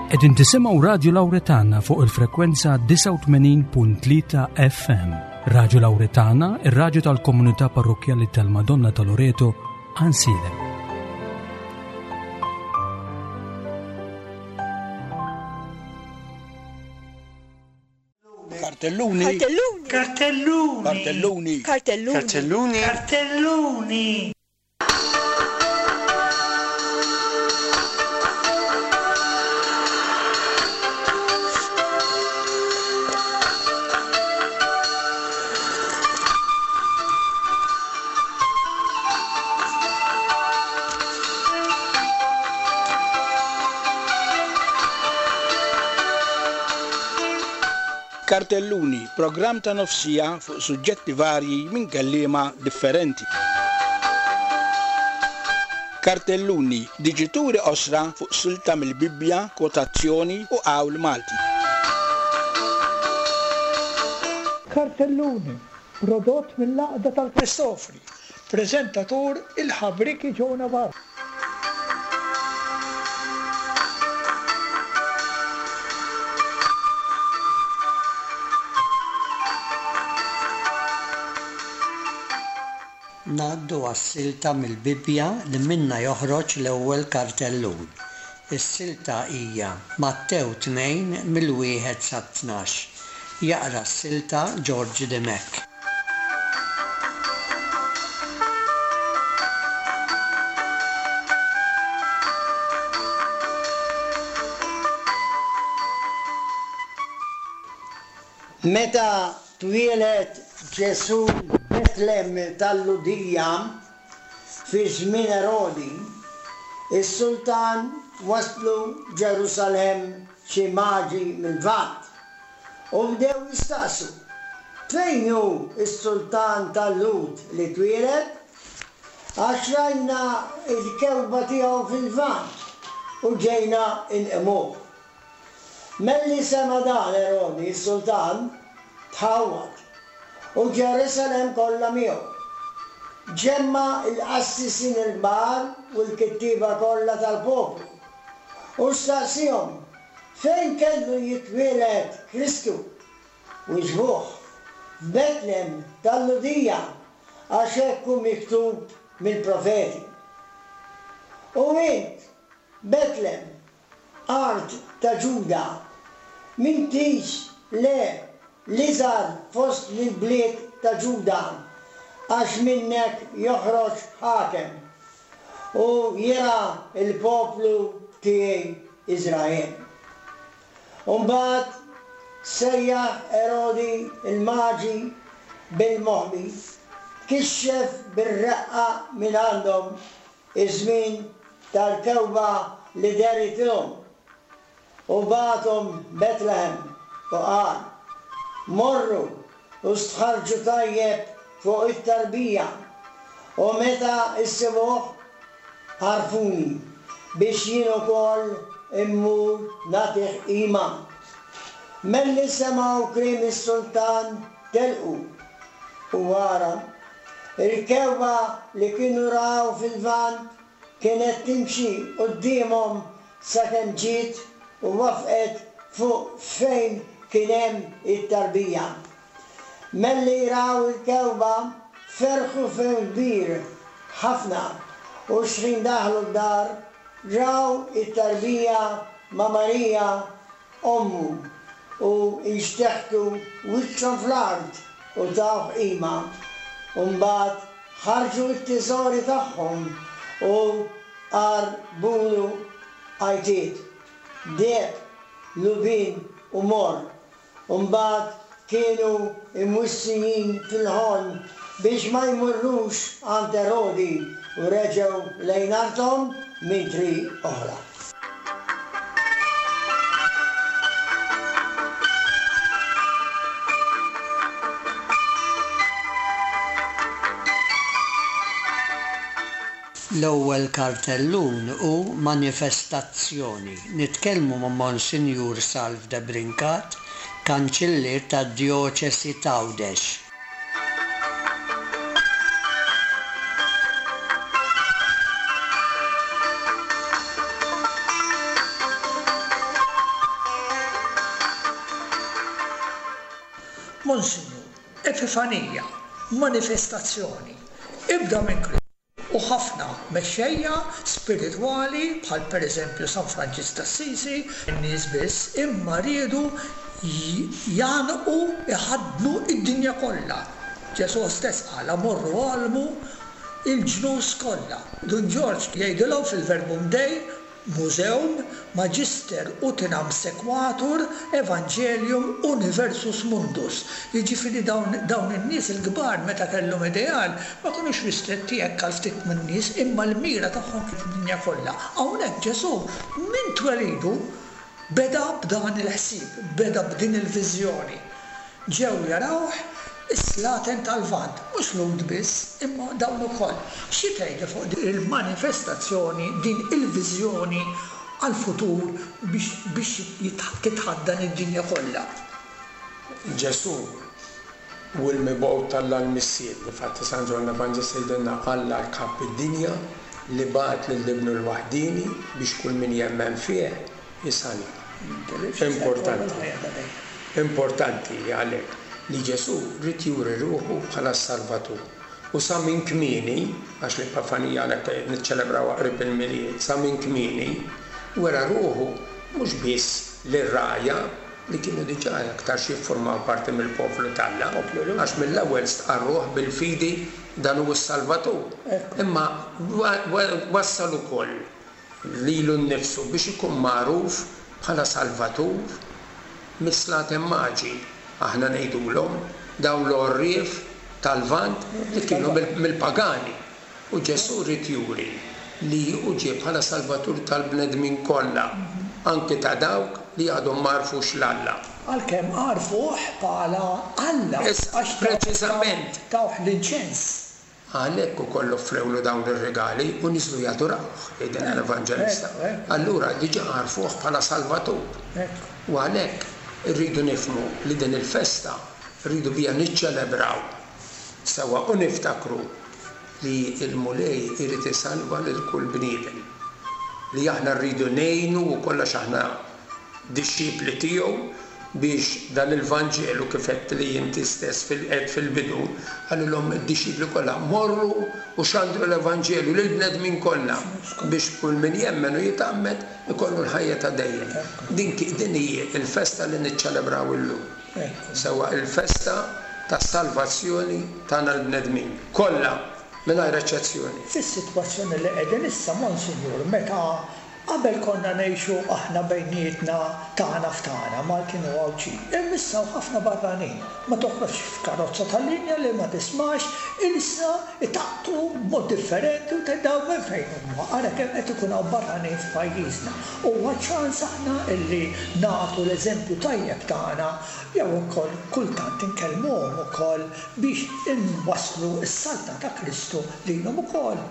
Qegħdin tisimgħu Radju Lawretana fuq il-frekwenza 89.3 FM. Radju Lawretana, ir-radju tal-komunità parrokkjali tal-Madonna ta' Loreto, Ansilem. Kartelluni. Kartelluni. Kartelluni. Kartelluni. Kartelluni. Kartelluni. Kartelluni. Kartelluni, programm ta' nofsija fuq suġġetti varji minn kelliema differenti. Kartelluni, diġituri qosra fuq silta mill-Bibbja, kwotazzjoni u qawl Malti. Kartelluni, prodott mill-Għaqda tal-Kristofri, preżentatur il-ħabrieki Joe Navarro. Ngħaddu għas-silta mill-Bibbja li minnha joħroġ l-ewwel kartellun. Is-silta hija Mattew 2 mill-wieħed sat-tnax. Jaqra s-silta George Dimech. Meta twieled Ġesù f'Betlem tal-Lhudija, fi żmien Erodi, is-sultan waslu Ġerusalemm xi maġi mill-Lvant. U bdew jistaqsu, Fejn hu s-sultan tal-Lhud li twieled? Għax rajna l-kewkba tiegħu fil-Lvant u ġejna nqimuh. Malli sema' dan Erodi s-sultan, tħawwad, u Ġerusalemm kollha miegħu. Ġemma' l-qassisin il-kbar u l-kittieba kollha tal-poplu, u staqsiehom Fejn kellu jitwieled Kristu? Wiġbuh, F'Betlem tal-Lhudija, għax hekk hu miktub mill-profeti. U int, Betlem, art ta' Ġuda, m'intix, le, l-iżgħar fost l-bliet ta' Ġuda, għax minnek joħroġ ħakem, u jirgħa l-poplu tiegħi Iżrael. U mbagħad sejjaħ Erodi l-Maġi bil-moħbi, kixxef bir-reqqa mingħandhom iż-żmien tal-kewba li dehritilhom, u bagħathom Betlehem, u qal, Morru u stħarrġu tajjeb fuq it-tarbija, u meta ssibuh, għarrfuni, biex jien ukoll immur nagħtih qima. Malli semgħu kliem is-sultan telqu, u ara, il-kewba li kienu raw fil-Lvant kienet timxi quddiemhom sakemm ġiet u wafqet fuq fejn kien hemm it-tarbija. Malli raw il-kewba ferħu ferħ kbir ħafna u xħin daħlu d-dar raw it-tarbija ma' Marija ommu u nxteħtu wiċċhom fl-art u tawh qima. U mbagħad ħarġu t-teżori tagħhom u Qarbulu għajtiet, deheb, lubien u morr, u mbagħad kienu mwissijin fil-ħolm biex ma jmorrux għand Erodi u reġgħu lejn arthom minn triq oħra. L-ewwel kartellun hu manifestazzjoni. Nitkellmu ma' Monsinjur Salv Debrincat, Kanċillier tad-Djoċesi t'Għawdex. Monsinjur, Epifanija, manifestazzjoni, ibda minn Kristu u ħafna mexxejja spiritwali bħal pereżempju San Franġisk t'Assisi, in-nies biss, imma riedu jgħannqu, iħaddnu d-dinja kollha. Ġesù stess qalha, Morru għallmu l-ġnus kollha. Dun Ġorġ jgħidilhom fil-Verbum Dei, Museum Magister utinam sequatur Evangelium universus mundus. Jiġifieri dawn dawn in-nies il-kbar meta kellhom ideal ma kinux ristretti hekk għal ftit min-nies imma l-mira tagħhom kienet id-dinja kollha. Hawnhekk Ġesù minn twelidu beda b'dan il-ħsieb, beda b'din il-viżjoni. Ġew jarawh is-slaten tal-Lvant, mhux Lhud biss, imma dawn ukoll. Xi tgħidli fuq din il-manifestazzjoni, din il-viżjoni għall-futur biex biex titħaddan id-dinja kollha? Ġesù hu l-mibgħut t'Alla l-Missier. Difatti San Ġwann l-Evanġelista jgħidilna Alla ħabb id-dinja li bagħat lil Ibnu l-waħdieni biex kull min jemmen fih isalva. Importanti. Importanti għalhekk li Ġesù ried juri ruħu bħala s-Salvatur. U sa minn kmieni, għax l-Epifanija għalhekk qed niċċelebrawha qrib il-Milied, sa minn kmieni wera ruħu mhux biss lir-rgħajja li kienu diġà aktarx jiffurmaw parti mill-poplu t'Alla, għax mill-ewwel stqarruh bil-fidi dan hu s-Salvatur, imma wassal ukoll lilu nnifsu biex ikun magħruf bħala Salvatur mis-Slaten Maġi, aħna ngħidulhom, dawn l-għorrief tal-Lvant li kienu mill-pagani. U Ġesù ried juri li hu ġie bħala Salvatur tal-bnedmin kollha, anki ta' dawk li għadhom ma għarfux 'l Alla. Għalkemm għarfuh bħala Alla, għax tawh l-inċens. Għalhekk ukoll offrewlu dawn ir-rigali u niżlu jadurawh, jgħidilna l-Evanġelista. Allura diġà għarfuh bħala Salvatur. U għalhekk irridu nifhmu li din il-festa rridu biha niċċelebraw sewwa u niftakru li l-Mulej irid isalva lil kull bniedem. Li aħna rridu ngħinu wkoll għax aħna dixxipli tiegħu biex dan il-Vanġelu kif għedt li inti stess fil għedt fil-bidu, qalilhom id-dixxipli kollha, morru u xandru l-Evanġelju lill-bnedmin kollha biex kull min jemmen u jitgħammed ikollu l-ħajja ta' dejjem. Din din hi l-festa li niċċelebraw illum. Sewwa il-festa tas-salvazzjoni tagħna l-bnedmin kollha mingħajr eċċezzjoni. Fis-sitwazzjoni li qegħdin issa, Monsinjur, meta Qabel konna ngħixu aħna bejnietna tagħna f'tagħna, Maltin u Għawdxin. Imma issa hawn ħafna barranin. Ma toħroġx f'karozza tal-linja li ma tismax ilsna jtaqqtu b'mod differenti u tgħid dawn minn fejn huma. Ara kemm qed ikun hawn barranin f'pajjiżna. Huwa ċans aħna illi nagħtu l-eżempju tajjeb tagħna jew ukoll kultant inkellmuhom ukoll biex inwasslu s-saltna ta' Kristu lilhom ukoll.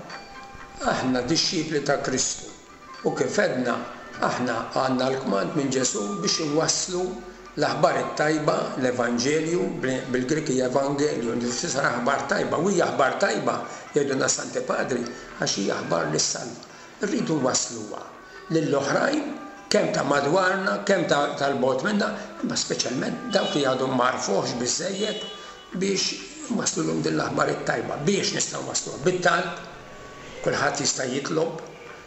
Aħna dixxipli ta' Kristu, u kif għedna, aħna għandna l-kmand minn Ġesù biex inwasslu l-aħbar it-tajba, l-evanġelju, bil-Grieg hija evangelion, li tfisser aħbar tajba, u hija aħbar tajba, jgħidulna s-Santi Padri, għax hija aħbar li ssalva. Irridu nwassluha lill-oħrajn, kemm ta' madwarna, kemm ta' 'l bogħod minna, imma speċjalment dawk li għadhom ma għarfuhx biżżejjed biex nwasslulhom din l-aħbar it-tajba. Biex nistgħu nwassluha? Bit-talb, kulħadd jista' jitlob,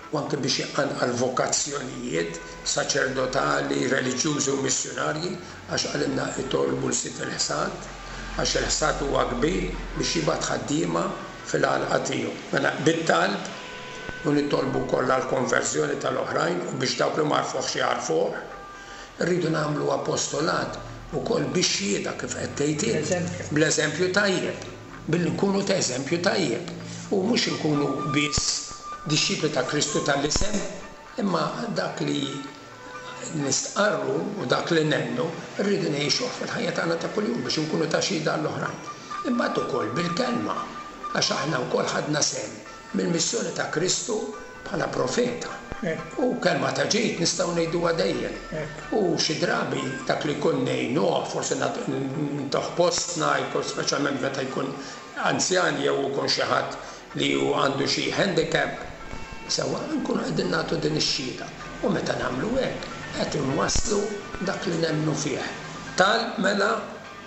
u anke biex iqanqal vokazzjonijiet saċerdotali, reliġjużi u missjunarji, għax qalilna itolbu 'l Sid il-ħsad, għax il-ħsad huwa kbir biex jibgħat ħaddiema fil-għalqa tiegħu. Mela, bit-talb, u nitolbu wkoll għall-konverżjoni tal-oħrajn u biex dawk li m'għarfuhx jagħrfuh. Irridu nagħmlu apostolat ukoll bix-xhieda kif qed tgħid int, bl-eżempju tajjeb, billi nkunu ta' eżempju tajjeb u mhux inkunu biss dixxipli ta' Kristu tal-isem, imma dak li nistqarru u dak li nemmnu rridu ngħixuh fil-ħajja tagħna ta' kuljum biex inkunu ta' xhieda għall-oħrajn. Imbagħad ukoll bil-kelma, għax aħna wkoll ħadna sehem mill-missjoni ta' Kristu bħala profeta. U kelma ta' ġid nistgħu ngħiduha dejjem. U xi drabi dak li jkun ngħinuh, forsi ntuh postna, jkun speċjalment meta jkun anzjan jew ikun xi ħadd li hu għandu xi handicap, sewwa nkunu qegħdin nagħtu din ix-xhieda. U meta nagħmlu hekk, qed inwasslu dak li nemmnu fih. Talb mela.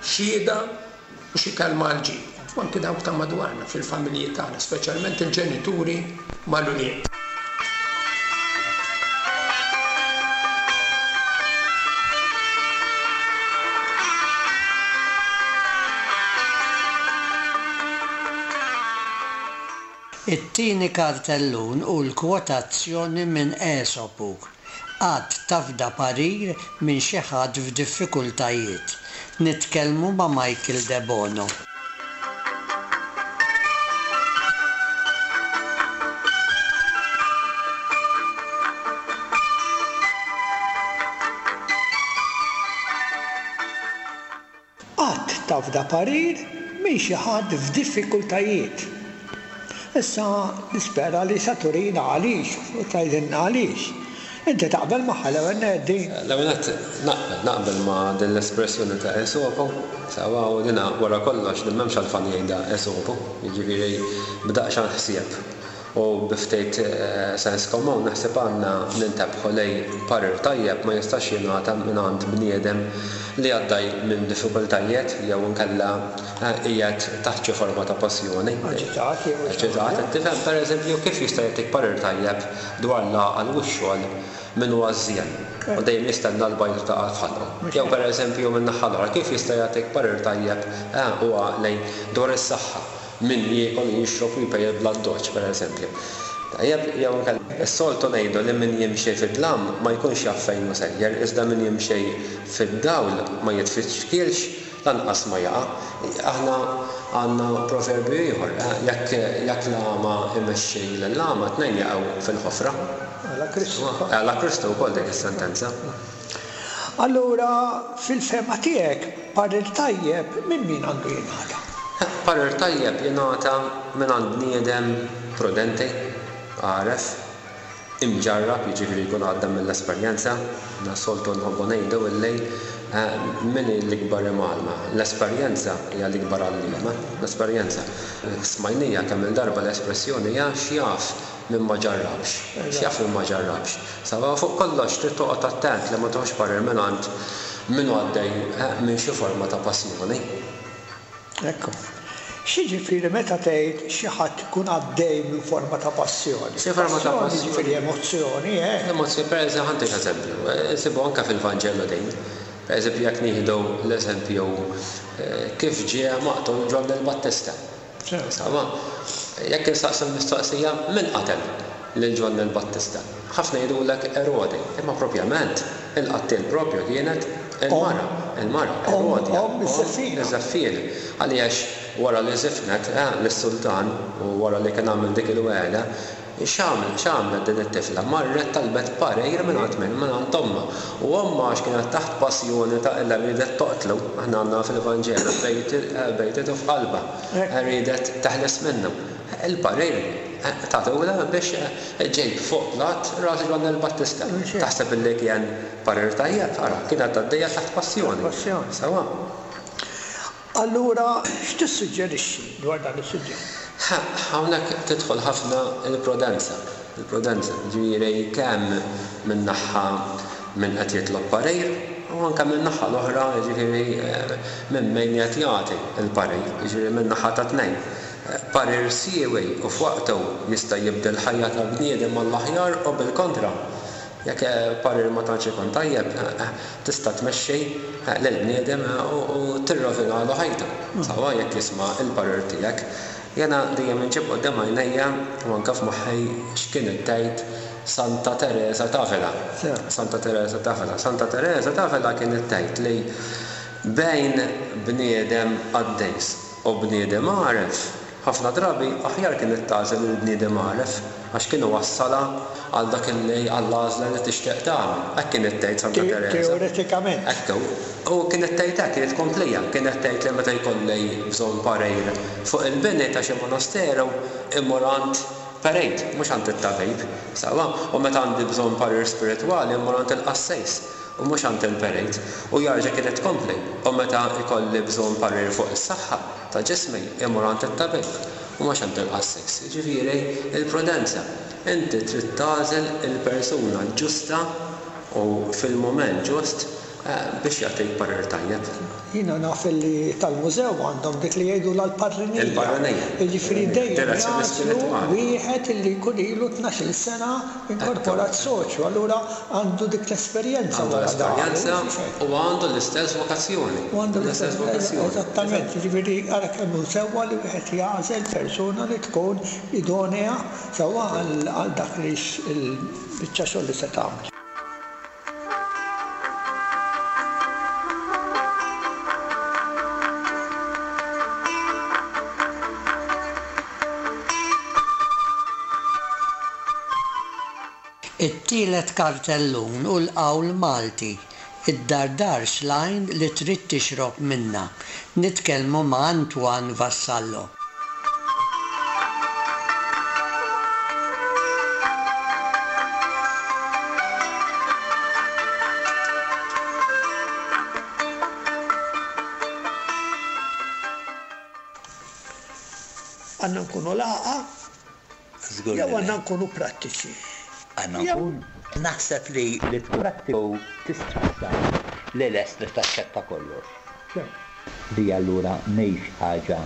xhieda u xi kelma għall-ġid, u anki dawk ta' madwarna fil-familji tagħna, speċjalment il-ġenituri mal-ulied. It-tieni kartellun hu l-kwotazzjoni minn Esopu, Qatt tafda parir minn xi ħadd f'diffikultajiet. Nitkellmu ma' Michael Debono. Qatt tafda parir minn xi ħadd f'diffikultajiet. Issa nispera li sa turina għaliex u tgħidilna għaliex. Inti taqbel magħha l-ewwel nett din? L-ewwel nett naqbel, naqbel ma' din l-espressjoni ta' Esopo, sewwa, u dina wara kollox din m'hemmx għalfejn jgħidha Esopo, jiġifieri b'daqsxejn ħsieb u bi ftit sens komun naħseb għandna nintebħu li parir tajjeb ma jistax jingħata mingħand bniedem li għaddej minn diffikultajiet jew inkella qiegħed taħt xi forma ta' passjoni. Aġitat jew xi ħaġa. Aġitat, qed tifhem? Pereżempju, kif jista' jagħtik parir tajjeb dwar l-għaqal u x-xogħol min hu għażżien u dejjem jistenna l-bajda taqa' f'ħalqu? Jew pereżempju min-naħa l-oħra, kif jista' jagħtik parir tajjeb u għaqli dwar is-saħħa min jiekol u jixrob u jpejjep bl-addoċċ, pereżempju? Tajjeb, jew inkella, is-soltu ngħidu li min jimxi fid-dlam ma jkunx jaf fejn hu sejjer, iżda min jimxi fid-dawl ma jitfixkilx Lanqas ma jaqa'. Aħna għandna proverbju ieħor, jekk jekk l-agħma jmexxi lill-agħma, tnejn jaqgħu fil-ħofra. Għala Kristu wkoll. Għala Kristu wkoll dik is-sentenza. Allura, fil-fehma tiegħek, parir tajjeb minn min għandu jingħata? Parir tajjeb jingħata mingħand bniedem prudenti, għaref, imġarrab, jiġifieri jkun għadda mill-esperjenza. Aħna s-soltu nħobbu ngħidu illi min hi l-ikbar imgħallma? L-esperjenza hija l-ikbar għalliema. L-esperjenza. Smajnija kemm-il darba l-espressjoni hija x'jaf min ma ġarrabx. X'jaf min ma ġarrabx. Sewwa fuq kollox trid toqgħod attent li ma tieħux parir mingħand min hu għaddej minn xi forma ta' passjoni. Ekku. X'jiġifieri meta tgħid xi ħadd ikun għaddej minn forma ta' passjoni? Xi forma ta' Passjoni jiġifieri emozzjoni, eh? Emozzjoni, per eżempju, ħa ntik eżempju, insibu anke fil-Vanġelu din. Per eżempju, jekk nieħdu l-eżempju kif ġie maqtul Ġwanni l-Battista. Insomma, jekk insaqsu l-mistoqsija, min qatel lil Ġwanni l-Battista? Ħafna jgħidulek Erodi, imma propjament il-qattiel propju kienet il-mara, il-mara, Erodja, omm iż-żeffiena. Għaliex wara li żifnet lis-sultan u wara li kien għamel dik il-wegħda, X'għamlet, x'għamlet din it-tifla? Marret talbet parir mingħand min? Mingħand ommha. U ommha għax kienet taħt passjoni ta' illa riedet toqtlu, aħna għandna fil-Vanġelu, bejtitu f'qalbha, riedet teħles minnu. Il-parir tatulha biex ġġib fuq platt ras Ġwanni l-Battista. Taħseb illi kien parir tajjeb? Ara, kienet għaddejja taħt passjoni. Sewwa. Allura, x'tissuġġerixxi dwar dan is-suġġett? Hawnhekk tidħol ħafna l-prudenza, il-prudenza, jiġifieri kemm minn naħa min qed jitlob parir u anke min-naħa l-oħra jiġifieri minn min qed jagħti l-parir, jiġifieri min-naħa tat-tnejn. Parir siewi u f'waqtu jista' jibdel ħajja ta' bniedem għall-aħjar u bil-kontra. Jekk parir ma tantx ikun tajjeb, tista' tmexxi lill-bniedem u tirrovinalu ħajtu. Sewwa jekk jisma' l-parir tiegħek. Jiena dejjem inġib quddiem għajnejja u anke f'moħħi x'kienet tgħid Santa Tereża t'Avila. Santa Tereża t'Avila. Santa Tereża t'Avila kienet tgħid li bejn bniedem qaddis u bniedem għaref, Ħafna drabi aħjar kienet tagħżel il-bniedem għaref għax kien iwassalha għal dak illi għall-għażla li tixtieq tagħmel. Hekk kienet tgħid Santa Tereża. Teoretikament. Hekk hu. U kienet tgħid hekk, kienet tkomplija. Kienet tgħid li meta jkolli bżonn parir fuq il-bini ta' xi monasteru immur għand perit, mhux għand it-tabib. Sewwa? U meta għandi bżonn parir spiritwali immur għand il-qassis u mhux għand il-perit. U jarġa' kienet tkompli, u meta jkolli bżonn parir fuq is-saħħa, ta' ġismi imur għand it-tabib u mhux għand il-qassis. Jiġifieri, il-prudenza. Inti trid tagħżel il-persuna ġusta u fil-mument ġust Biex jagħtik parir tajjeb. Jiena naf li tal-mużew għandhom dik li jgħidulha l-parrinija. Il-parrinija. Jiġifieri dejjem Direzzjoni jagħżlu spiritwali. wieħed illi jkun ilu 12-il sena inkorporat soċju, allura għandu dik l-esperjenza Għandu wara dahru. l-esperjenza u għandu l-istess vokazzjoni. U għandu L-istess l-istess, vokazzjoni. eżattament, jiġifieri ara kemm hu sewwa li wieħed jagħżel persuna li tkun idonea sewwa għal dak li l-biċċa xogħol li se tagħmel. It-tielet kartellun hu l-qawl Malti, Iddardarx l-għajn li trid tixrob minnha. Nitkellmu ma' Antoine Vassallo. Għandna nkunu lagħqa jew għandna nkunu prattiċi? Għandna nkunu. Naħseb li li tkun prattiku tista' li lest li taċċetta kollox. Li allura mhix ħaġa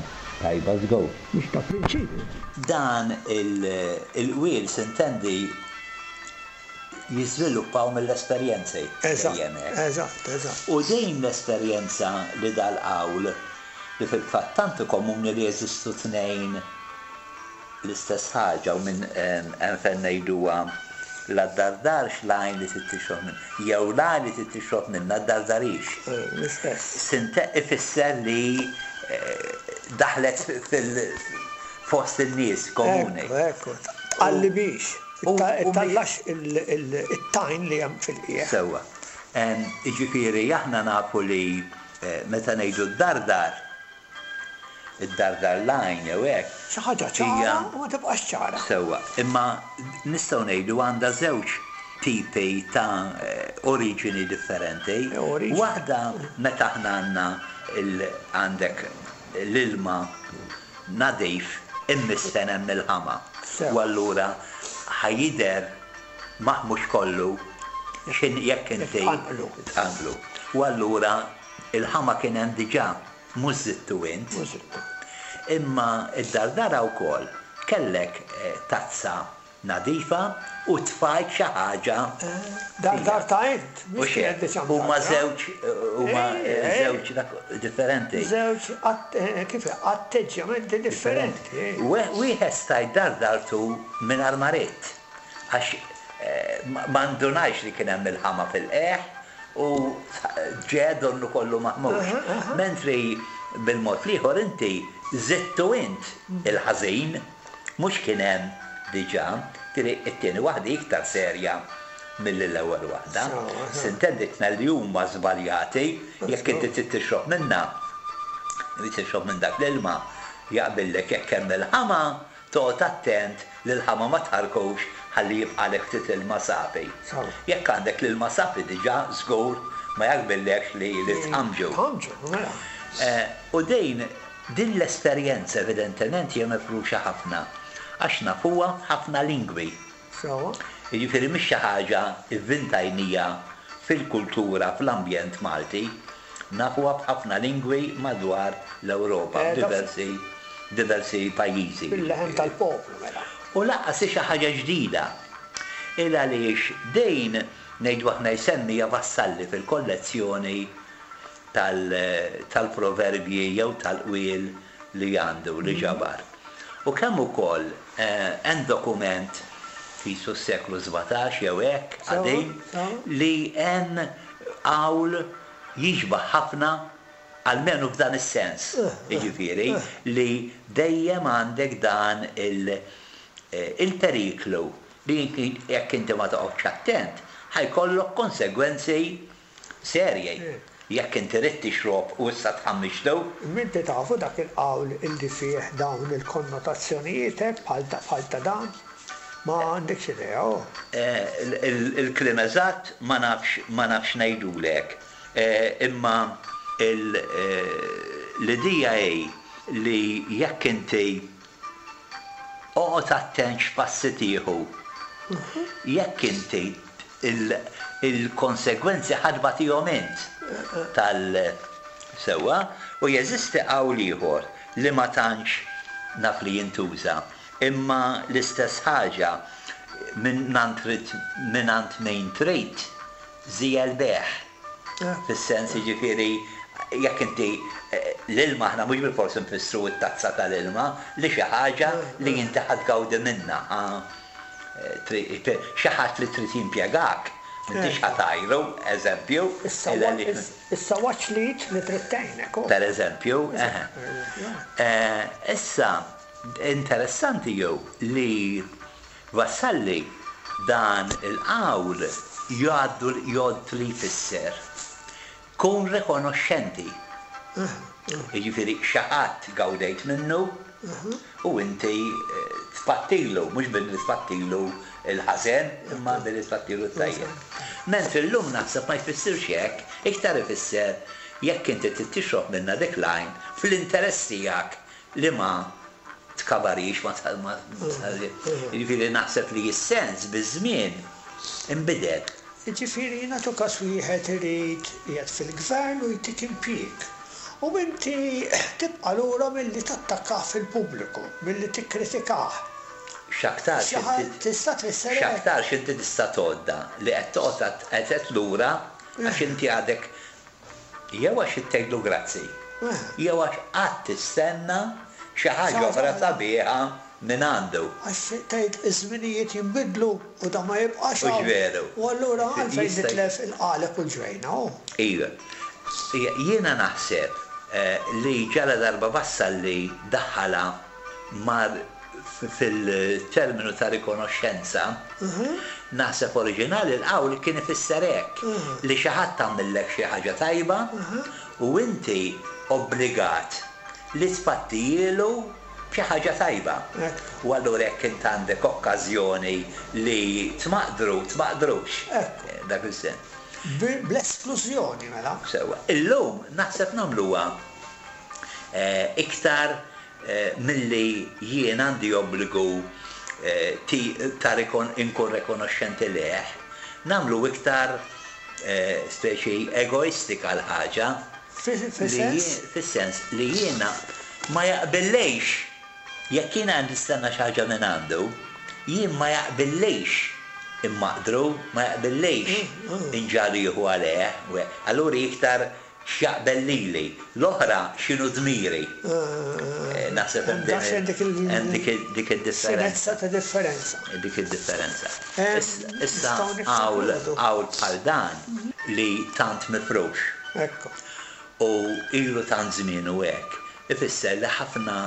tajba żgur. Mhix ta' prinċipju. Dan il-qwiel s'intendi jiżviluppaw mill-esperjenzi dejjem hekk. Eżatt, eżatt. U din l-esperjenza li dal-qawl, li fil-fatt tant hu komuni li jeżistu tnejn L-istess ħaġa u minn hemm fejn ngħiduha la ddardarx l-għajn li trid tixrob minnha, jew l-għajn li trid tixrob minnha ddardarhiex. L-istess. Sinte ifisser li daħlet fil fost in-nies komuni. Ekku, ekku. Tqallibhiex. Ittallax it-tajn li hemm fil-qiegħ. Sewwa. Jiġifieri aħna nafu li meta ngħidu ddardar, Id-dardar l-għajn jew hekk. Xi ħaġa ċara u ma tibqax ċara. Sewwa, imma nistgħu ngħidu għandha żewġ tipi ta' oriġini differenti. Waħda meta aħna għandna għandek l-ilma nadif immissen hemm il-ħama. U allura ħa jidher maħmuġ kollu x'in jekk inti tqanqlu. U allura l-ħama kien hemm diġà. Mhux żidtu int. Mhux żidtu. Imma d-dardara wkoll kellek tazza nadifa u tfajt xi ħaġa fiha. Dardartha int, mhux kienet diġà mdardarha. Huma żewġ huma żewġ differenti. Żewġ kif atteġġjamenti differenti. Wieħed stajt dardartu mingħajr ma ridt għax ma ndunajtx li kien hemm il-ħama fil-qiegħ U ġe donnu kollu maħmuġ. Mentri bil-mod l-ieħor inti żidtu int il-ħażin, mhux kien hemm diġà. Ġifieri t-tieni waħda hi iktar serja milli l-ewwel waħda. S'intendi tnejn li huma żbaljati, jekk inti trid tixrob minnha, trid tixrob minn dak l-ilma, jaqbillek jekk hemm il-ħama, Toqgħod attent li l-ħama ma tħarrkux ħalli jibqagħlek ftit ilma safi. Jekk għandek l-ilma safi diġà żgur ma jaqbillekx li li tħammġu. U din din l-esperjenza evidentement hija mifruxa ħafna għax nafuha f'ħafna lingwi. Jiġifieri mhix xi ħaġa vvintajnija fil-kultura, fl-ambjent Malti. Nafuha f'ħafna lingwi madwar l-Ewropa, f'diversi diversi pajjiżi. Fil-leħen tal-poplu mela. U lanqas hi xi ħaġa ġdida. Il għaliex din, ngħidu aħna jsemmiha Vassalli fil-kollezzjoni tal-proverbji jew tal-qwiel li għandu, li ġabar. U kemm ukoll hemm dokument qisu s-seklu 17 jew hekk, qadim, li hemm qawl jixbah ħafna, almenu f'dan is-sens, jiġifieri li dejjem għandek dan il-periklu li jekk inti ma toqgħodx attent ħa jkollok konsegwenzi serji. Jekk inti ridt tixrob u issa tħammiġtu. Imma inti tafu dak il-qawl illi fih dawn il-konnotazzjonijiet hekk bħal ta' dan? Ma għandekx idea, oh. Il-kliem eżatt ma nafx ma nafx ngħidulek. Imma l-idea hi li jekk inti oqgħod attent x'passi tieħu. Jekk inti. Il-konsegwenzi ħa tbatihom int tal Sewwa, u jeżisti qawl ieħor li ma tantx naf li jintuża, imma l-istess ħaġa, mingħand mingħand min trid, żiegħel bejgħ. Fis-sens jiġifieri jekk inti l-ilma aħna mhux bilfors infissru t-tazza tal-ilma, li xi ħaġa li inti ħa tgawdi minnha, ħa xi ħadd li trid jimpjegak, m'intix ħa tgħajru, eżempju. Issa watch l-id li trid tgħinek. Per eżempju, eħe. Issa, interessanti hu li Vassalli dan il-qawl jgħaddu jgħodd li jfisser kun rikonoxxenti. Jiġifieri xi ħadd gawdejt minnu u inti tpattilu, mhux billi tpattilu l-ħażen imma billi tpattilu t-tajjeb. Mentri llum naħseb ma jfissirx hekk, iktar ifisser jekk inti trid tixrob minnha dik l-għajn fl-interess tiegħek li ma tkabarix, ma Jiġifieri naħseb li s-sens biż-żmien inbidel. Jiġifieri nagħtu każ wieħed irid qiegħed fil-gvern u jtik impjieg u inti tibqa' lura milli tattakkah fil-pubbliku, milli tikkritikah. X'aktarx inti Tista' tfisser hekk. X'aktarx inti tista' tgħoddha li qed toqgħod qed lura għax inti għadek Jew għax tgħidlu grazzi, jew għax qatt tistenna xi ħaġa oħra sabiħa mingħandu. Għax tgħid iż-żminijiet jinbidlu u dan ma jibqax hawn. Hux veru? U allura għalfejn nitlef il-qaleb u l-ġwejna, hu? Iva. Jiena naħseb li ġaladarba Vassalli daħħalha mar fil-terminu ta' rikonoxxenza, naħseb oriġinali l-qawl kien ifisser hekk, li xi ħadd għamillek xi ħaġa tajba u inti obbligat li tpattijielu b'xi ħaġa tajba. U allura jekk int għandek okkażjoni li tmaqdru, tmaqdrux. Dak is-sens. Bl-esklużjoni mela. Sewwa. Illum naħseb nagħmluha iktar Milli jien għandi obbligu ta' inkun rekonoxxenti lejh, nagħmlu iktar speċi egoistika l-ħaġa. Fis-sens? Fis-sens li jiena ma jaqbillix, jekk jiena qed nistenna xi ħaġa mingħandu, jien ma jaqbillix immaqdru, ma jaqbillix inġagħlu jieħu għalih. Allura hi iktar X'jaqbel lili, l-oħra x'inhu dmiri. Naħseb hemm dik id-differenza. Finezza ta' differenza. Dik id-differenza. Issa qawl bħal dan li tant mifrux. Ekku. U ilu tant żmien u hekk, ifisser li ħafna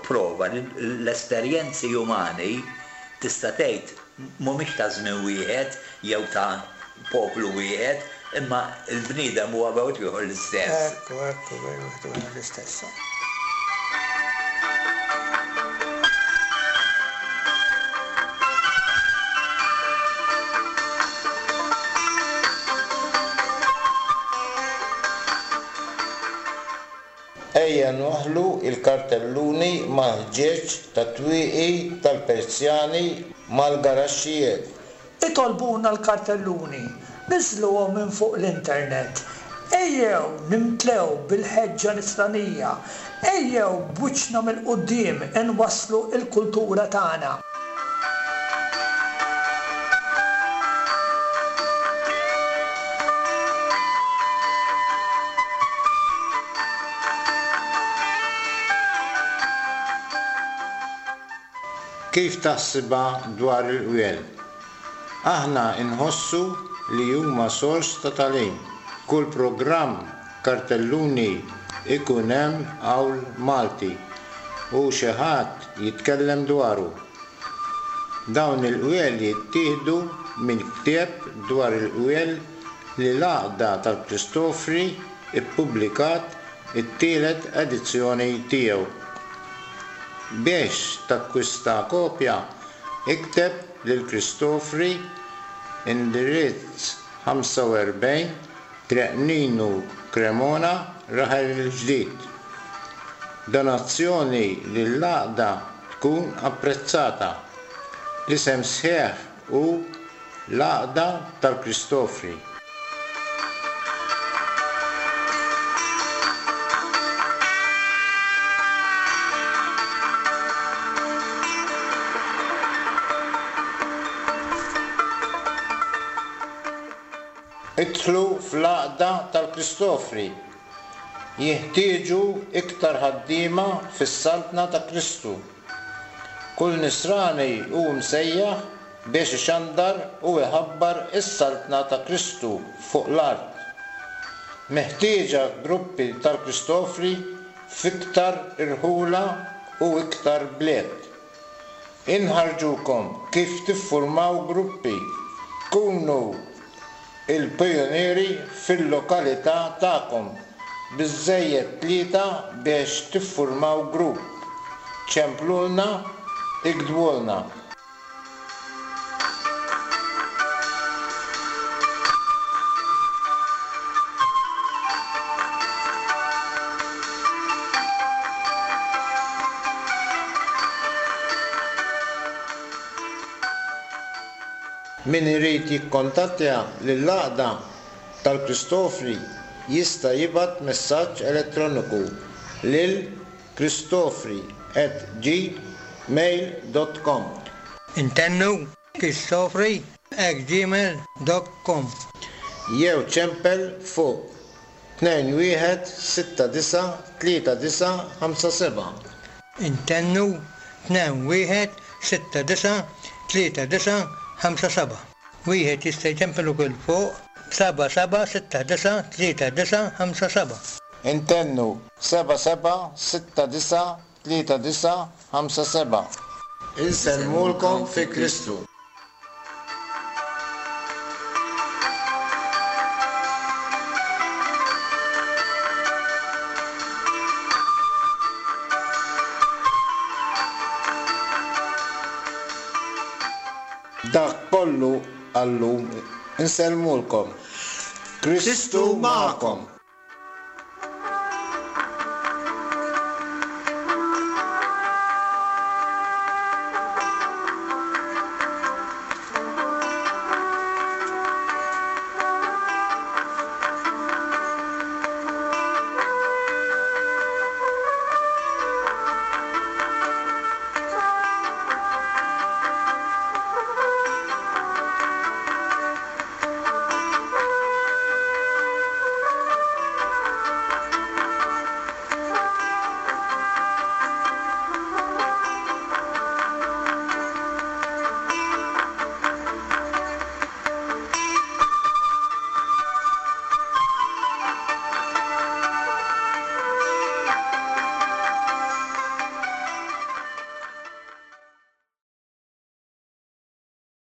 prova li l-esperjenzi umani tista' tgħid mhumiex ta' żmien wieħed jew ta' poplu wieħed, imma l-bniedem huwa bejn wieħed u ieħor l-istess. Ekku, ekku, bejn wieħed u ieħor l-istess. Ejja nwaħħlu l-kartelluni mal-ħġieġ tat-twieqi tal-persjani mal-garaxxijiet. Itolbuna l-kartelluni, niżżluhom minn fuq l-internet. Ejjew nimtlew bil-ħeġġa nisranija. Ejjew b'wiċċna mill-quddiem inwasslu l-kultura tagħna. Kif taħsibha dwar il-qwiel? Aħna nħossu li huma sors ta' tagħlim. Kull programm kartelluni ikun hemm qawl Malti u xi ħadd jitkellem dwaru. Dawn il-qwiel jittieħdu minn ktieb dwar il-qwiel li l-Għaqda tal-Kristofri ppubblikat it-tielet edizzjoni tiegħu. Biex takkwista kopja, ikteb lil Kristofri, indirizz 45, Triq Ninu Cremona, Raħal il-Ġdid. Donazzjoni lill-Għaqda tkun apprezzata. L-isem sħiħ hu. L-Għaqda tal-Kristofri. Idħlu fl-Għaqda tal-Kristofri. Jinħtieġu iktar ħaddiema fis-Saltna ta' Kristu. Kull Nisrani hu msejjaħ biex ixandar u iħabbar is-Saltna ta' Kristu fuq l-art. Meħtieġa gruppi tal-Kristofri f'iktar irħula u iktar bliet. Inħarrġukom kif tiffurmaw gruppi. Kunu il-pijunieri fil-lokalità tagħkom. Biżżejjed tlieta biex tiffurmaw grupp. Ċemplulna, iktbulna. Min irid jikkontattja lill-Għaqda tal-Kristofri jista' jibgħat messaġġ elettroniku lil kristofri at gmail dot com. Intennu, kristofri at gmail dot com. Jew ċempel fuq 21 69 39 57. Intennu, 21 69 39 57. Wieħed jista' jċempel ukoll fuq 77 69 39 57. Intennu, 77 69 39 57. Insellmulkom fi Kristu. Dak kollu għal-lum. Insellmulkom. Kristu magħkom.